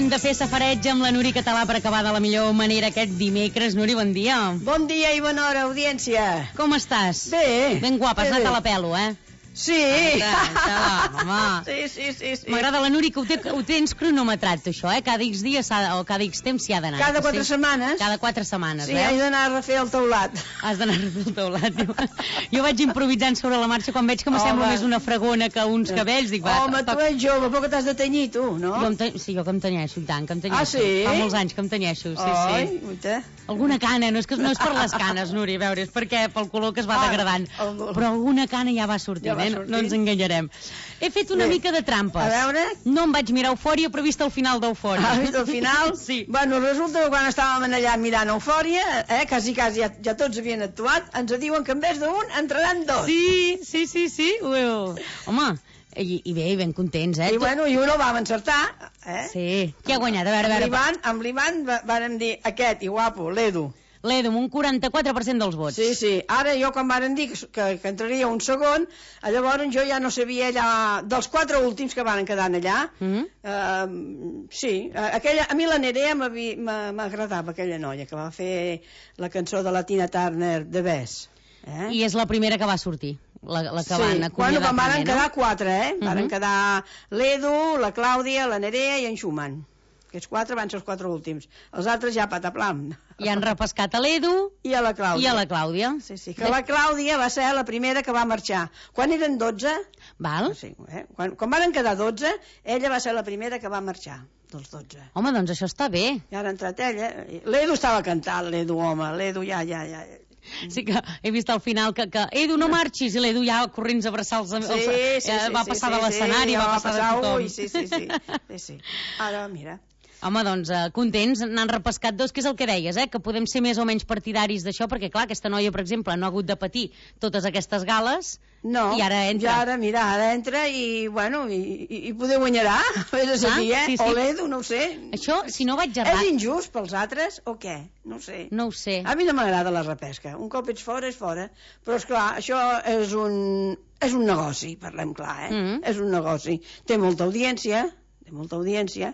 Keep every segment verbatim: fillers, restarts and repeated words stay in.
Hem de fer safareig amb la Nuri Català per acabar de la millor manera aquest dimecres. Nuri, bon dia. Bon dia i bona hora, audiència. Com estàs? Bé. Ben guapa, has anat a la pelo, eh? Sí. Ah, home. Sí, sí, sí, sí. M'agrada la Nuri que ho, té, ho tens cronometrat, això, eh? Cada X dies o cada X temps s'hi ha d'anar. Cada quatre sí? setmanes. Cada quatre setmanes, sí, veus? Sí, he d'anar a refer el teulat. Has d'anar a refer el teulat. Jo vaig improvisant sobre la marxa quan veig que m'assembla més una fregona que uns cabells. Dic, va, home, tu ets jove, però que t'has de tenyir, tu, no? Jo te... Sí, jo que em tenyeixo, i tant, que em tenyeixo. Ah, sí? Fa molts anys que em tenyeixo, sí, Ai, sí. Uita. Alguna cana, no és, que, no és per les canes, Nuri, a veure, és perquè pel color que es va ah, degradant. El... Però alguna cana ja va sortint, ja va eh? sortint. No ens enganyarem. He fet una Bé. mica de trampes. A veure... No em vaig mirar Eufòria, però he vist el final d'Eufòria. Has vist el final? Sí. Bueno, resulta que quan estàvem allà mirant Eufòria, eh, quasi, quasi ja, ja tots havien actuat, ens diuen que en vez d'un entraran dos. Sí, sí, sí, sí. Ui, home, i, i bé, ben contents, eh? I bueno, i un el vam encertar, eh? Sí. Qui ha guanyat? A veure, a veure. L'Ivan, amb l'Ivan vàrem dir aquest, i guapo, l'Edu. L'Edu, amb un quaranta-quatre per cent dels vots. Sí, sí. Ara jo quan varen dir que, que, que entraria un segon, llavors jo ja no sabia allà, dels quatre últims que van quedar allà, Mm -hmm. uh, sí, aquella, a mi la Nerea m'agradava, aquella noia que va fer la cançó de la Tina Turner, The Best. Eh? I és la primera que va sortir, la, la que sí. van acomiadar. Bueno, quan van primer, quedar no? quatre, eh? Uh -huh. Van quedar l'Edu, la Clàudia, la Nerea i en Schumann. Aquests quatre van ser els quatre últims. Els altres ja pataplam. I han repescat a l'Edu i a la Clàudia. I a la Clàudia. Sí, sí, que la Clàudia va ser la primera que va marxar. Quan eren dotze... Val. Sí, eh? quan, quan van quedar dotze, ella va ser la primera que va marxar, dels dotze. Home, doncs això està bé. I ara ha entrat ella. L'Edu estava cantant, l'Edu, home. L'Edu ja, ja, ja... Sí que he vist al final que, que Edu, no marxis, i l'Edu ja corrents a abraçar els... els sí, sí, sí, eh, va sí, passar sí, de l'escenari, sí, va passar de tothom. Ui, sí, sí, sí, sí, sí. Ara, mira... Home, doncs, eh, contents, n'han repescat dos, que és el que deies, eh? Que podem ser més o menys partidaris d'això, perquè, clar, aquesta noia, per exemple, no ha hagut de patir totes aquestes gales, no, i ara entra. Ja ara, mira, ara entra i, bueno, i, i, i poder guanyarà, és a saber, eh? Sí, sí. O l'Edu, no ho sé. Això, si no vaig errat... És injust pels altres o què? No ho sé. No ho sé. A mi no m'agrada la repesca. Un cop ets fora, és fora. Però, esclar, això és un, és un negoci, parlem clar, eh? Mm-hmm. És un negoci. Té molta audiència, té molta audiència,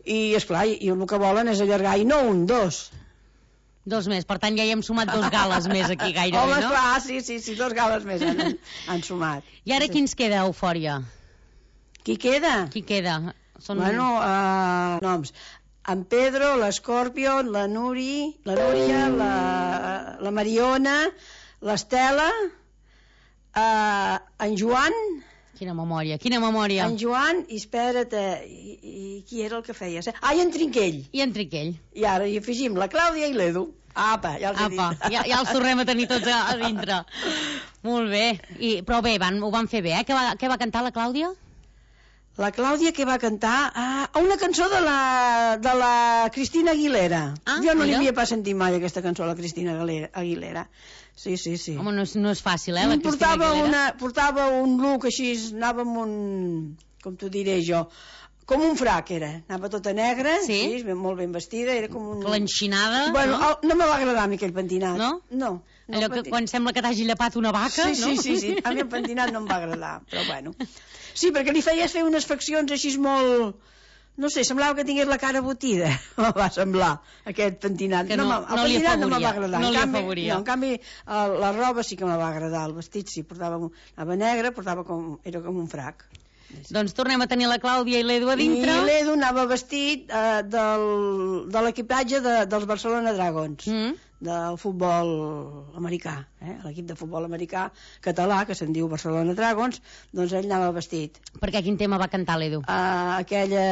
i, esclar, i el que volen és allargar, i no un, dos. Dos més, per tant ja hi hem sumat dos gales més aquí gairebé, Home, no? Home, clar, sí, sí, sí, dos gales més han, han sumat. I ara sí. qui ens queda, Eufòria? Qui queda? Qui queda? Són... Bueno, uh, noms. En Pedro, l'Escorpion, la Nuri, la Núria, la, la Mariona, l'Estela, uh, en Joan... Quina memòria, quina memòria. En Joan, i espera't, i, i qui era el que feia? Ah, i en Trinquell. I en Trinquell. I ara hi afegim la Clàudia i l'Edu. Apa, ja els he Apa, dit. ja, ja els tornem a tenir tots a, a dintre. Molt bé. I, però bé, van, ho van fer bé, eh? Què va, què va cantar la Clàudia? La Clàudia que va cantar ah, una cançó de la, de la Cristina Aguilera. Ah, jo no mira. li havia pas sentit mai aquesta cançó a la Cristina Aguilera. Sí, sí, sí. Home, no és, no és fàcil, eh, la Cristina portava Aguilera. Una, portava un look així, anava amb un... com t'ho diré jo... Com un frac era, anava tota negra, sí? sí, molt ben vestida, era com un... Clenxinada, bueno, no? El, no me va agradar a mi aquell pentinat. No? No. no Allò que pentinat. quan sembla que t'hagi llepat una vaca, sí, no? Sí, sí, sí, a mi el pentinat no em va agradar, però bueno. Sí, perquè li feies fer unes faccions així molt... No sé, semblava que tingués la cara botida, me va semblar, aquest pentinat. Que no, no, el no li pentinat afavoria. no me va agradar. No en li canvi, afavoria. no, en canvi, el, la roba sí que me va agradar, el vestit sí, portava, anava negre, portava com, era com un frac. Doncs tornem a tenir la Clàudia i l'Edu a dintre. I l'Edu anava vestit eh, del, de l'equipatge de, dels Barcelona Dragons, mm. del futbol americà, eh? L'equip de futbol americà català, que se'n diu Barcelona Dragons, doncs ell anava vestit. Perquè quin tema va cantar l'Edu? Uh, aquella...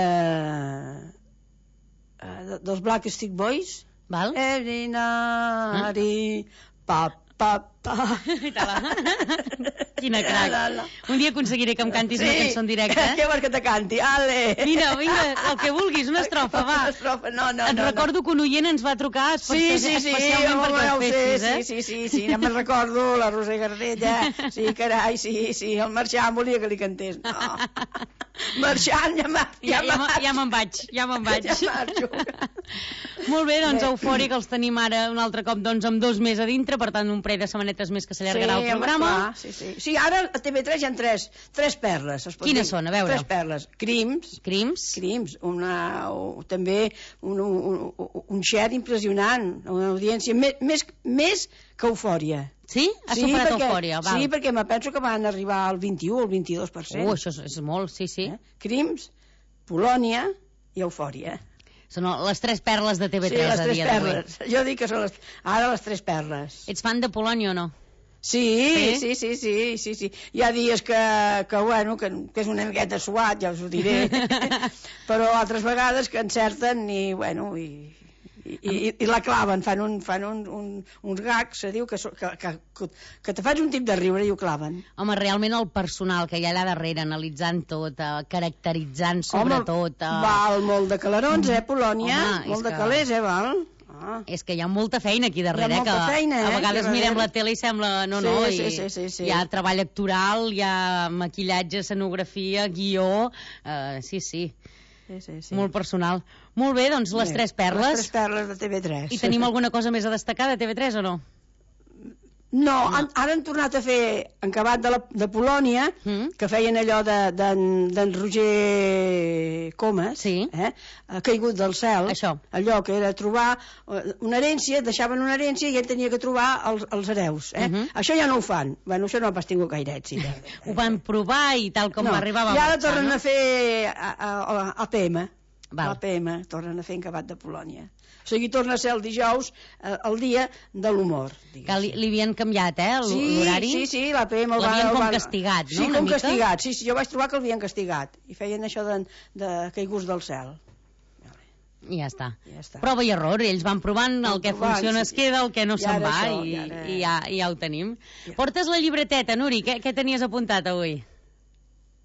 Uh, dels Black Stick Boys. Val? Every night, ah? pa, pa, pa. Quina crac. La, la. Un dia aconseguiré que em cantis sí. una cançó en directe. Eh? Què vols que te canti? Ale. Mira, vinga, el que vulguis, una estrofa, va. Una estrofa, no, no, Et no. recordo no. que un oient ens va trucar especial, sí, sí, sí, especialment home, perquè el fessis, eh? Sí, sí, sí, sí, ja me'n recordo, la Roser Gardella, sí, carai, sí, sí, el Marxant volia que li cantés. No. Marxant, ja me'n ja, ja, ja, ja me'n vaig, ja me'n vaig. Ja marxo. Molt bé, doncs, Eufòric, els tenim ara un altre cop doncs, amb dos més a dintre, per tant, un parell de setmanetes estonetes més que s'allargarà sí, el programa. Clar, sí, sí. Sí, ara a T V tres hi ha tres, tres perles. Quines són? A veure. Tres perles. Crims. Crims. Crims. Una, o, també un, un, un, un share impressionant, una audiència més, més, més que Eufòria. Sí? Ha sí, superat perquè, Eufòria, val. Sí, perquè me penso que van arribar al vint-i-u o al vint-i-dos per cent. Uh, això és, és molt, sí, sí. Eh? Crims, Polònia i Eufòria. Són les tres perles de T V tres sí, les a tres dia d'avui. perles. Jo dic que són les, ara les tres perles. Ets fan de Polònia o no? Sí, sí, sí, sí, sí, sí, sí. Hi ha dies que, que, bueno, que, que és una miqueta suat, ja us ho diré, però altres vegades que encerten i, bueno, i, i, i, i la claven, fan, un, fan un, un, uns gags, se diu, que, que, que, que te fas un tip de riure i ho claven. Home, realment el personal que hi ha allà darrere, analitzant tot, eh, caracteritzant sobretot... Home, eh... val molt de calarons, eh, Polònia, Home, molt de que... calés, eh, val? Ah. És que hi ha molta feina aquí darrere, que feina, eh, a vegades mirem la tele i sembla... No, sí, no, sí, i sí, sí, sí. hi ha treball actoral, hi ha maquillatge, escenografia, guió... Uh, sí, sí. Sí, sí, sí. Molt personal. Molt bé, doncs les bé, tres perles. Les tres perles de T V tres. I tenim alguna cosa més a destacar de T V tres o no? No, han, ara han tornat a fer en acabat de, la, de Polònia, mm. que feien allò d'en de, de, Roger Comas, sí. eh? Caigut del cel. Això. Allò que era trobar una herència, deixaven una herència i ell tenia que trobar els, els hereus. Eh? Uh -huh. Això ja no ho fan. Bueno, això no ha pas tingut gaire èxit. Eh? Ho van provar i tal com no, arribava... I ara tornen no? a fer a, a, a P M. Val. A P M, tornen a fer en acabat de Polònia. O sigui, torna a ser el dijous, eh, el dia de l'humor. Que li, li havien canviat, eh, l'horari? Sí, sí, sí, la P M... L'havien com castigat, no? Sí, com castigat, sí, sí, jo vaig trobar que l'havien castigat. I feien això de, de caiguts del cel. I ja està. ja està. Prova i error, ells van provant, el que provant, funciona sí. es queda, el que no se'n va, això, i, i, ara... i, ja, i ja ho tenim. Ja. Portes la llibreteta, Nuri, què, què tenies apuntat avui?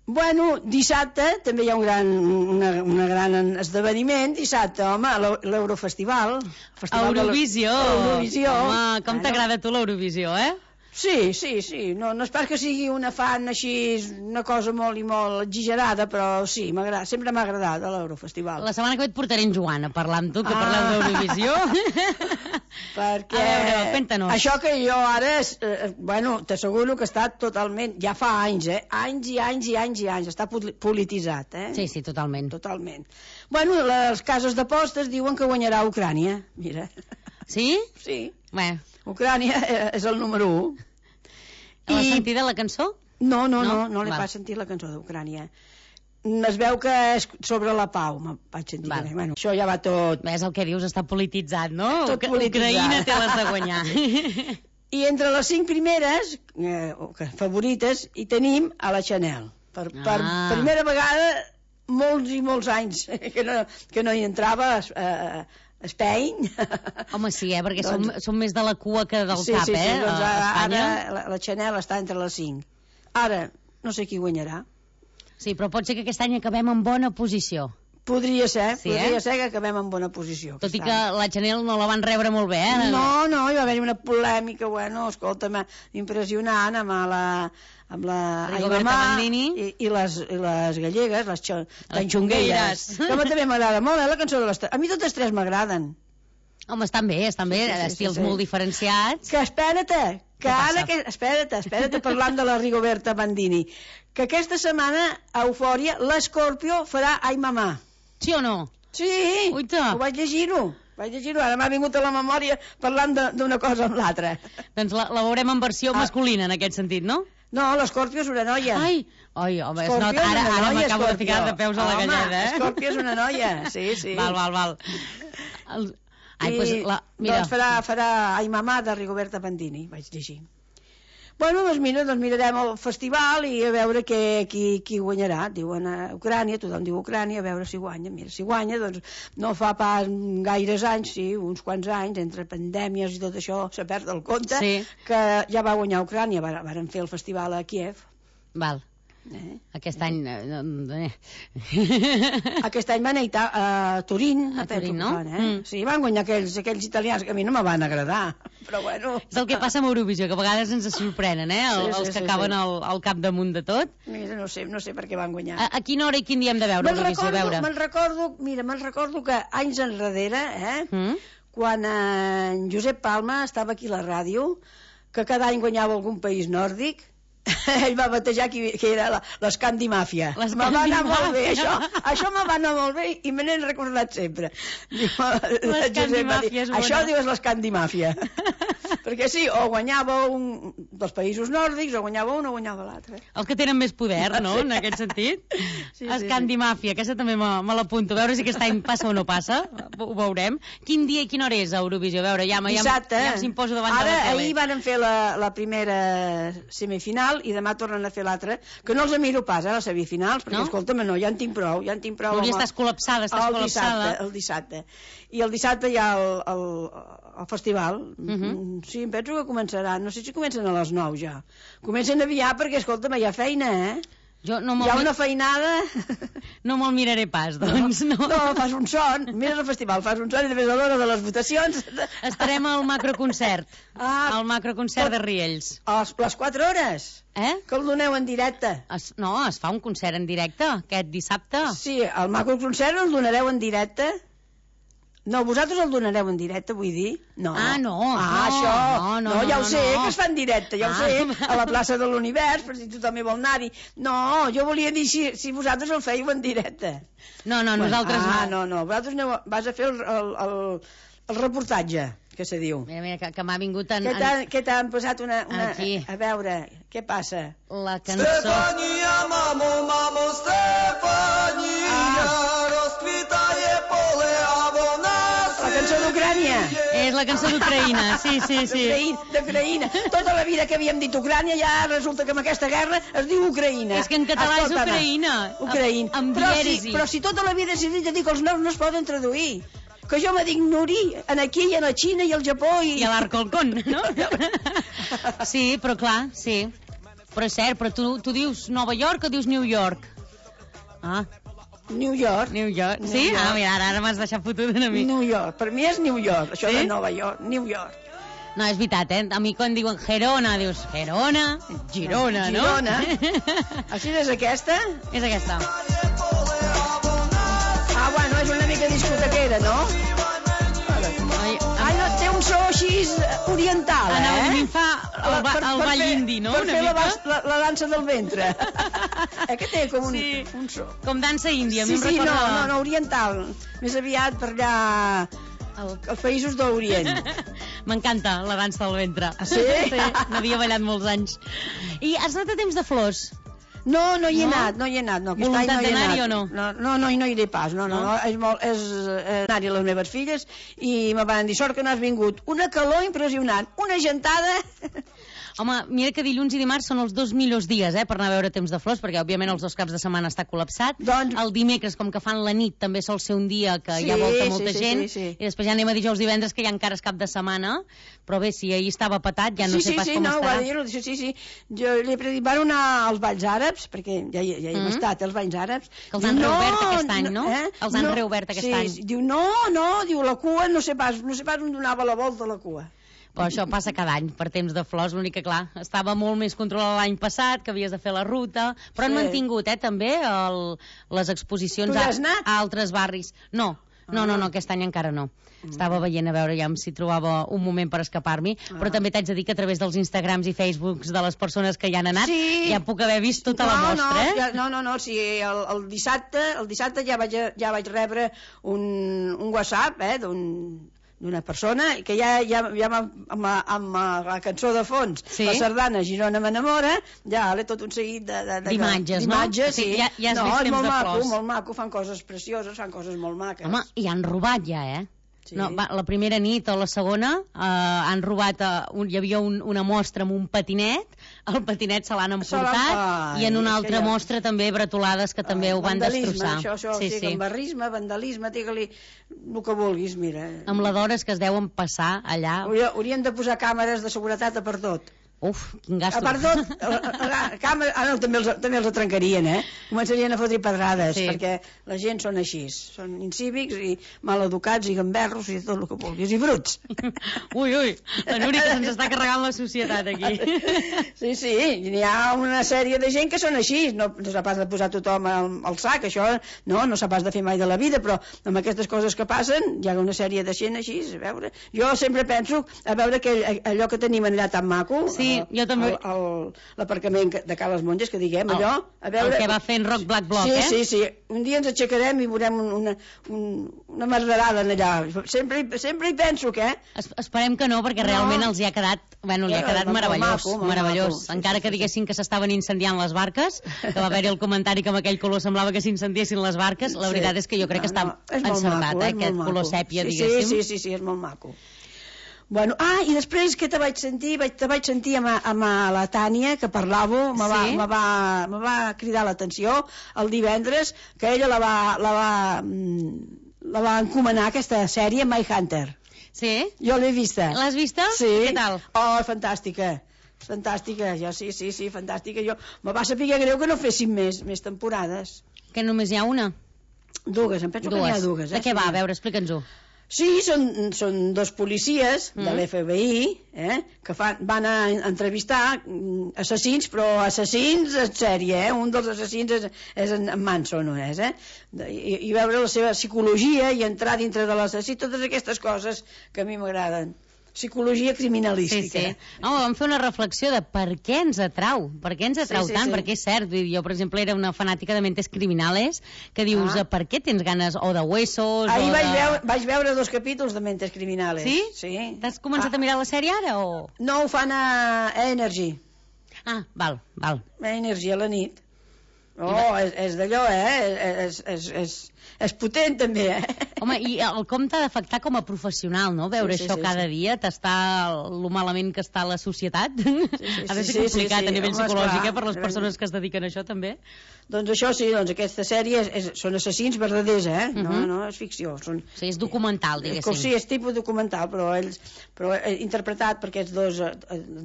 Bueno, dissabte també hi ha un gran, una, una gran esdeveniment, dissabte, home, l'Eurofestival. Eurovisió! Eurovisió. Home, com bueno. t'agrada a tu l'Eurovisió, eh? Sí, sí, sí. No, no és pas que sigui una fan així, una cosa molt i molt exagerada, però sí, sempre m'ha agradat l'Eurofestival. La setmana que ve et portaré en Joan a parlar amb tu, que ah. parleu d'Eurovisió. Perquè a veure, cuéntanos. Això que jo ara, eh, bueno, t'asseguro que està totalment, ja fa anys, eh? Anys i anys i anys i anys, està polititzat, eh? Sí, sí, totalment. Totalment. Bueno, les cases d'apostes diuen que guanyarà Ucrània, mira. Sí? Sí. Bé. Ucrània és el número u. L'has I... sentit la cançó? No, no, no, no, no l'he pas sentit la cançó d'Ucrània. Es veu que és sobre la pau, me vaig sentir. Vale. Bueno, això ja va tot... Ves el que dius, està polititzat, no? Tot polititzat. Ucraïna té les de guanyar. I entre les cinc primeres, eh, favorites, hi tenim a la Chanel. Per, ah. per primera vegada, molts i molts anys que no, que no hi entrava a... Spain. Home, sí, eh? Perquè doncs, som, som més de la cua que del sí, cap, sí, sí, eh? Doncs a Espanya. Ara la, la Chanel està entre les cinc. Ara, no sé qui guanyarà. Sí, però pot ser que aquest any acabem en bona posició. Podria ser, sí, podria eh? ser que acabem en bona posició. Tot i que la Chanel no la van rebre molt bé, eh? No, no, hi va haver una polèmica, bueno, escolta'm, impressionant amb la... amb la Rigoberta Bandini i, i, les, i les gallegues, les, xo, les xungueires, que a mi també m'agrada molt, eh, la cançó de les tres. A mi totes tres m'agraden. Home, estan bé, estan bé, sí, sí, estils sí, sí. molt diferenciats. Que espera't, que ara, que, espera't, espera't, parlant de la Rigoberta Bandini, que aquesta setmana a Eufòria l'Escorpio farà Ai Mamà. Sí o no? Sí, Uita. Ho vaig llegir-ho. Vaig llegir-ho, ara m'ha vingut a la memòria parlant d'una cosa amb l'altra. Doncs la, la veurem en versió ah. masculina, en aquest sentit, no? No, l'Escorpio és una noia. Ai, ai home, es nota, ara, ara m'acabo de ficar de peus a la home, galleda, eh? Escorpio és una noia, sí, sí. Val, val, val. El... Ai, I, pues, la... Mira. Doncs farà, farà Ai Mamà de Rigoberta Bandini, vaig llegir. Bueno, doncs mira, doncs mirarem el festival i a veure què, qui, qui guanyarà. Diuen a Ucrània, tothom diu Ucrània, a veure si guanya. Mira, si guanya, doncs no fa pas gaires anys, sí, uns quants anys, entre pandèmies i tot això, se perd el compte, sí. que ja va guanyar Ucrània, varen fer el festival a Kiev. Val. Eh? Aquest any... Eh. Aquest any van anar a Turín, a Turín, no? Fan, eh? mm. Sí, van guanyar aquells, aquells italians que a mi no me van agradar, però bueno... És el que passa amb Eurovisió, que a vegades ens sorprenen, eh? El, sí, sí, els que sí, acaben sí. al, al capdamunt de tot. Mira, no sé, no sé per què van guanyar. A, a quina hora i quin dia hem de veure Eurovisió? Me'n recordo, mira, me'n recordo que anys enrere, eh? Mm. Quan en Josep Palma estava aquí a la ràdio, que cada any guanyava algun país nòrdic, ell va batejar que, que era l'Escandimàfia. Me va anar molt bé, això, això me va anar molt bé i me n'he recordat sempre. L'Escandimàfia és bona. Això diu és l'Escandimàfia. Perquè sí, o guanyava un dels països nòrdics, o guanyava un o guanyava l'altre. Els que tenen més poder, no?, en aquest sentit. Sí, sí, Escandimàfia, sí. Aquesta també me, me l'apunto. A veure si aquest any passa o no passa, ho veurem. Quin dia i quina hora és a Eurovisió? A veure, ja, Dissabte. ja, ja s'imposo davant Ara, de la tele. Ahir van fer la, la primera semifinal i demà tornen a fer l'altra, que no els miro pas, eh, les semifinals, perquè, no? Escolta'm, no, ja en tinc prou, ja en tinc prou. No, ja estàs col·lapsada, estàs el col·lapsada. Dissabte, el dissabte. I el dissabte hi ha el, el, el festival. Uh -huh. Sí, em penso que començarà. No sé si comencen a les nou ja. Comencen aviat perquè, escolta'm, hi ha feina, eh? Jo no hi ha una feinada... No me'l miraré pas, doncs. No, no. no fas un son, mires el festival, fas un son i després a l'hora de les votacions... Estarem al macroconcert, ah, al macroconcert de Riells. A les, les quatre hores? Eh? Que el doneu en directe. Es, no, es fa un concert en directe, aquest dissabte. Sí, el macroconcert el donareu en directe? No, vosaltres el donareu en directe, vull dir? No. Ah, no. Ah, no, això. No, no, no, ja no, ho sé, no. que es fa en directe, ja ah. ho sé, a la plaça de l'Univers, per si tothom hi vol anar-hi. No, jo volia dir si, si vosaltres el fèieu en directe. No, no, bueno, nosaltres ah, no. no, no, vosaltres aneu, vas a fer el, el, el, el reportatge, que se diu. Mira, mira, que, que m'ha vingut en... Què t'han posat una... una Aquí. A veure, què passa? La cançó... Stefania, mamo, mamo, Stefania, ah. rozkwitaje pole, a vona... La cançó d'Ucrània. És la cançó d'Ucraïna, sí, sí, sí. D'Ucraïna. Tota la vida que havíem dit Ucrània, ja resulta que amb aquesta guerra es diu Ucraïna. És que en català és Ucraïna. Ucraïna. Amb però, dièresi. si, però si tota la vida s'ha dit a dir que els noms no es poden traduir. Que jo me dic Nuri, en aquí i a la Xina i al Japó i... I a l'Arcolcón, no? Sí, però clar, sí. Però és cert, però tu, tu dius Nova York o dius New York? Ah... New York. New York. New Sí? York. Ah, mira, ara, ara m'has deixat fotut una mica. New York. Per mi és New York, això sí? de Nova York. New York. No, és veritat, eh? A mi quan diuen Gerona, dius Gerona, Girona, no? Girona. Així és aquesta? És aquesta. Ah, bueno, és una mica discotequera, no? Ai, ai, no, té un so així oriental, eh? Anava a mi em fa el, ba, el ball indi, no? Per una fer la, mica? la, la dansa del ventre. Eh, que té com un, sí. un so. Com dansa índia, a mi sí, em sí, recorda... no, no, no, oriental. Més aviat per allà... El, els països d'Orient. M'encanta la dansa del ventre. Ah, sí? Sí, n'havia ballat molts anys. I has anat a temps de flors? No, no hi he no? anat, no hi he anat. No, Voluntat no d'anar-hi o no? No, no, no, no hi iré pas, no, no, no, no és molt, és eh, anar-hi a les meves filles i me van dir, sort que no has vingut. Una calor impressionant, una gentada... Home, mira que dilluns i dimarts són els dos millors dies, eh, per anar a veure Temps de Flors, perquè, òbviament, els dos caps de setmana està col·lapsat. Doncs... El dimecres, com que fan la nit, també sol ser un dia que sí, hi ha volta molta sí, gent. Sí, sí, sí. I després ja anem a dijous divendres, que ja encara és cap de setmana. Però bé, si ahir estava patat, ja no sí, sé pas sí, com no, estarà. Sí, sí, sí, sí. Jo li he predit, van anar als balls àrabs, perquè ja, ja hi hem mm-hmm. estat, als balls àrabs. Que els han no, reobert aquest any, no? Eh? Els han no, reobert aquest sí, any. Sí, diu, no, no, diu, la cua, no sé pas, no sé pas on donava la volta a la cua. Però això passa cada any, per Temps de Flors, l'únic que, clar, estava molt més controlat l'any passat, que havies de fer la ruta, però sí. Han mantingut, eh, també, el, les exposicions a, a altres barris. No, no, no, no, aquest any encara no. Mm. Estava veient a veure ja si trobava un moment per escapar-m'hi, ah. Però també t'haig de dir que a través dels Instagrams i Facebooks de les persones que hi han anat, sí. Ja puc haver vist tota no, la mostra, no, eh? Ja, no, no, no, sí, el, el dissabte, el dissabte ja vaig, ja vaig rebre un, un WhatsApp, eh, d'un d'una persona que ja, ja, ja amb, amb, amb la cançó de fons, sí. La sardana Girona m'enamora, ja l'he tot un seguit d'imatges, no? Sí, ja, ja has no, vist és Temps molt de maco, Flors. molt maco, fan coses precioses, fan coses molt maques. Home, i han robat ja, eh? Sí. No, va, la primera nit o la segona eh, han robat, uh, un, hi havia un, una mostra amb un patinet, el patinet se l'han emportat, ai, i en una altra ja... mostra també bretolades que també ai, ho van destrossar. Això, això, sí, sí. Gambarrisme, vandalisme, digue-li el que vulguis, mira. Amb la d'hores que es deuen passar allà. Haurien de posar càmeres de seguretat a per tot. Uf, quin gasto. A part tot, ah, no, també, els, també els trencarien, eh? Començarien a fotre pedrades, sí. perquè la gent són així, són incívics i maleducats i gamberros i tot el que vulguis, i bruts. Ui, ui, la Núria que se'ns està carregant la societat aquí. Sí, sí, n'hi ha una sèrie de gent que són així, no, no s'ha pas de posar tothom al, al sac, això no, no s'ha pas de fer mai de la vida, però amb aquestes coses que passen hi ha una sèrie de gent així, a veure, jo sempre penso a veure que allò que tenim allà tan maco, sí, jo també... l'aparcament de Ca les Monges, que diguem, allò... A veure... El que va fer en Rock Black Block, sí, eh? Sí, sí, sí. Un dia ens aixecarem i veurem una, un, una merderada allà. Sempre, sempre hi penso que... Es, esperem que no, perquè realment no. els hi ha quedat, bueno, li ha quedat meravellós, maco, meravellós. Maco. Encara que diguessin que s'estaven incendiant les barques, que va haver-hi el comentari que amb aquell color semblava que s'incendiessin les barques, la veritat sí. és que jo crec no, que està no, encertat, maco, eh, aquest maco. color sèpia, sí, diguéssim. Sí, sí, sí, és molt maco. Bueno, ah, i després que te vaig sentir, vaig, te vaig sentir amb, amb la Tània, que parlava, me va, sí? me va, me va cridar l'atenció el divendres, que ella la va, la va, la va encomanar, aquesta sèrie, My Hunter. Sí? Jo l'he vista. L'has vista? Sí. Què tal? Oh, fantàstica. Fantàstica, jo sí, sí, sí, fantàstica. Jo, me va saber greu que no fessin més, més temporades. Que només hi ha una? Dues, em penso dues. que n'hi ha dues. Eh? De què va? A veure, explica'ns-ho. Sí, són, són dos policies mm. de l'F B I eh, que fan, van a entrevistar assassins, però assassins en sèrie, eh? Un dels assassins és, és en Manson, no és, eh? I, i veure la seva psicologia i entrar dintre de l'assassí, totes aquestes coses que a mi m'agraden. Psicologia criminalística. Sí, sí. No, vam fer una reflexió de per què ens atrau, per què ens atrau sí, sí, tant, sí. perquè és cert, jo per exemple era una fanàtica de Mentes Criminales, que dius, ah. per què tens ganes o de huesos Ahir o vaig, de... veure, vaig veure dos capítols de Mentes Criminales. Sí? Sí. T'has començat ah. a mirar la sèrie ara o...? No, ho fan a Energy. Ah, val, val. A Energy a la nit. Oh, és, és d'allò, eh? És, és, és, és potent, també, eh? Home, i el com t'ha d'afectar com a professional, no? Veure sí, sí, això sí, cada sí. dia, t'està lo malament que està la societat. Sí, sí, ha de ser sí, complicat sí, sí. a nivell Home, psicològic, eh, per les persones que es dediquen a això, també. Doncs això sí, doncs aquesta sèrie és, és, són assassins verdaders, eh? Uh -huh. No, no, és ficció. Són, sí, és documental, diguéssim. Sí, és tipus documental, però ells, però interpretat per aquests dos,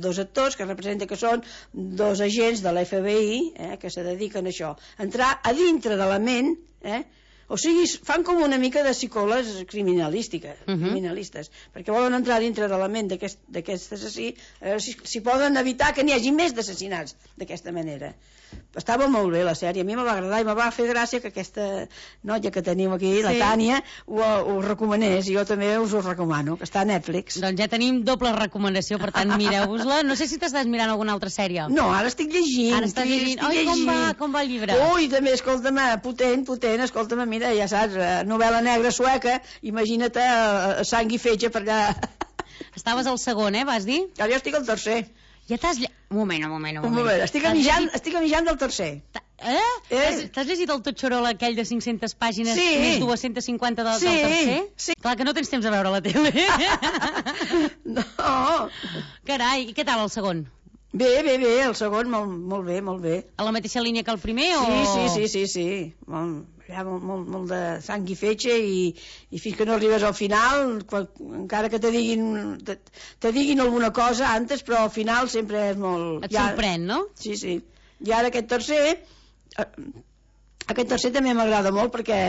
dos actors que representen que són dos agents de l'F B I, eh, que se dediquen a això. Entrar a dintre de la ment, eh? O sigui, fan com una mica de psicòlegs criminalístiques, uh -huh. criminalistes, perquè volen entrar dintre de la ment d'aquest assassí, a veure si, si poden evitar que n'hi hagi més d'assassinats d'aquesta manera. Estava molt bé la sèrie, a mi me va agradar i me va fer gràcia que aquesta noia que tenim aquí, sí. la Tània, ho, ho recomanés, i jo també us ho recomano, que està a Netflix. Doncs ja tenim doble recomanació, per tant mireu-vos-la. No sé si t'estàs mirant alguna altra sèrie. No, ara estic llegint. Ara estàs llegint. Oi, llegint. com va, com va el llibre? Ui, també, escolta'm, potent, potent, escolta'm, mira, ja saps, novel·la negra sueca, imagina't uh, sang i fetge per allà. Estaves al segon, eh, vas dir? Ara jo estic al tercer. Ja t'has... Lle... Un moment, un moment, un moment. Un moment, estic amijant, llegit... estic amijant del tercer. Eh? eh? T'has llegit el Totxorol aquell de cinc-centes pàgines sí. més dues-centes cinquanta del, sí. del tercer? Sí. Clar que no tens temps a veure la tele. No. Carai, i què tal el segon? Bé, bé, bé, el segon molt, molt bé, molt bé. A la mateixa línia que el primer o...? Sí, sí, sí, sí, sí. Molt, hi ha molt, molt, molt de sang i fetge i, i fins que no arribes al final, quan, encara que te diguin, te, te diguin alguna cosa antes, però al final sempre és molt... Et ja, sorprèn, no? Sí, sí. I ara aquest tercer, aquest tercer també m'agrada molt perquè...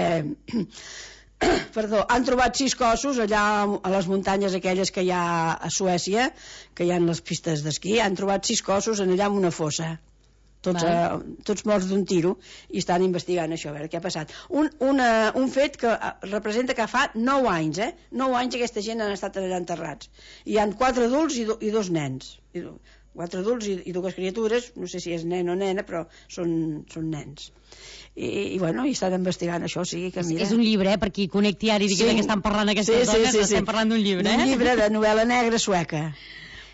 Perdó, han trobat sis cossos allà a les muntanyes aquelles que hi ha a Suècia, que hi ha les pistes d'esquí, han trobat sis cossos en allà en una fossa, tots, vale. uh, tots morts d'un tiro, i estan investigant això, a veure què ha passat. Un, una, un fet que representa que fa nou anys, eh? nou anys aquesta gent han estat allà enterrats. Hi han quatre adults i, do, i dos nens. I, quatre adults i, i dues criatures, no sé si és nen o nena, però són, són nens. I, i bueno, i estan investigant això, sí, que mira... És un llibre, eh, per qui connecti ara i digui sí. que estan parlant aquestes sí, dones, sí, sí, estem sí. parlant d'un llibre, eh? Un llibre de novel·la negra sueca.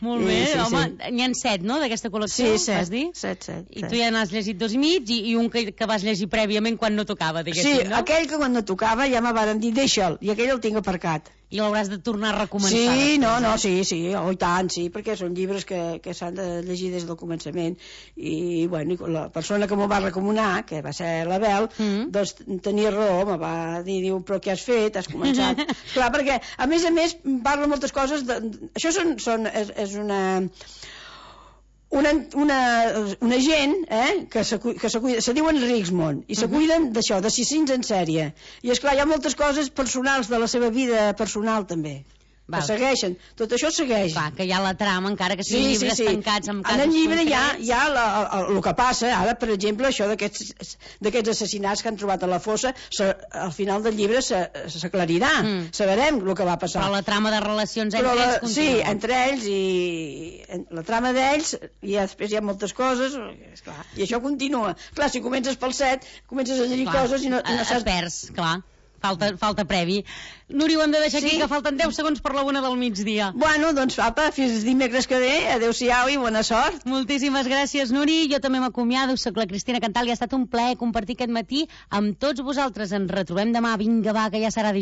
Molt bé, sí, sí, home, sí. N'hi ha set, no?, d'aquesta col·lecció, sí, set, vas dir? set, set. I tu ja n'has llegit dos i mig i, i un que, que vas llegir prèviament quan no tocava, diguéssim, sí, no? Sí, aquell que quan no tocava ja me varen dir deixa'l, i aquell el tinc aparcat. I l'hauràs de tornar a recomençar. Sí, després, no, no, eh? sí, sí, oh, i tant, sí, perquè són llibres que, que s'han de llegir des del començament. I, bueno, la persona que m'ho va recomanar, que va ser l'Abel, mm. doncs tenia raó, me va dir, diu, però què has fet? Has començat? Clar, perquè, a més a més, parla moltes coses, de, això són, són, és, és una... una, una, una gent eh, que, se, que se, cuida, se diuen Riksmond i se uh-huh. cuiden d'això, d'assassins en sèrie. I esclar, hi ha moltes coses personals de la seva vida personal també. Val. Que segueixen, tot això segueix. Clar, que hi ha la trama, encara que siguin sí, llibres sí, sí. tancats amb casos en el llibre concrets. hi ha, hi ha el que passa, ara per exemple això d'aquests assassinats que han trobat a la fossa, se, al final del llibre s'aclarirà, mm. sabrem el que va passar. Però la trama de relacions entre la, ells continua. Sí, entre ells i la trama d'ells, i després hi ha moltes coses, esclar, i això continua. Clar, si comences pel set, comences a llegir clar, coses i no, i no saps... Es perds, clar. Falta, falta previ. Núria, ho hem de deixar sí? aquí, que falten deu segons per la una del migdia. Bueno, doncs, apa, fins dimecres que ve. Adéu-siau i bona sort. Moltíssimes gràcies, Nuri. Jo també m'acomiado. Soc la Cristina Cantal i ha estat un plaer compartir aquest matí amb tots vosaltres. Ens retrobem demà. Vinga, va, que ja serà dijous.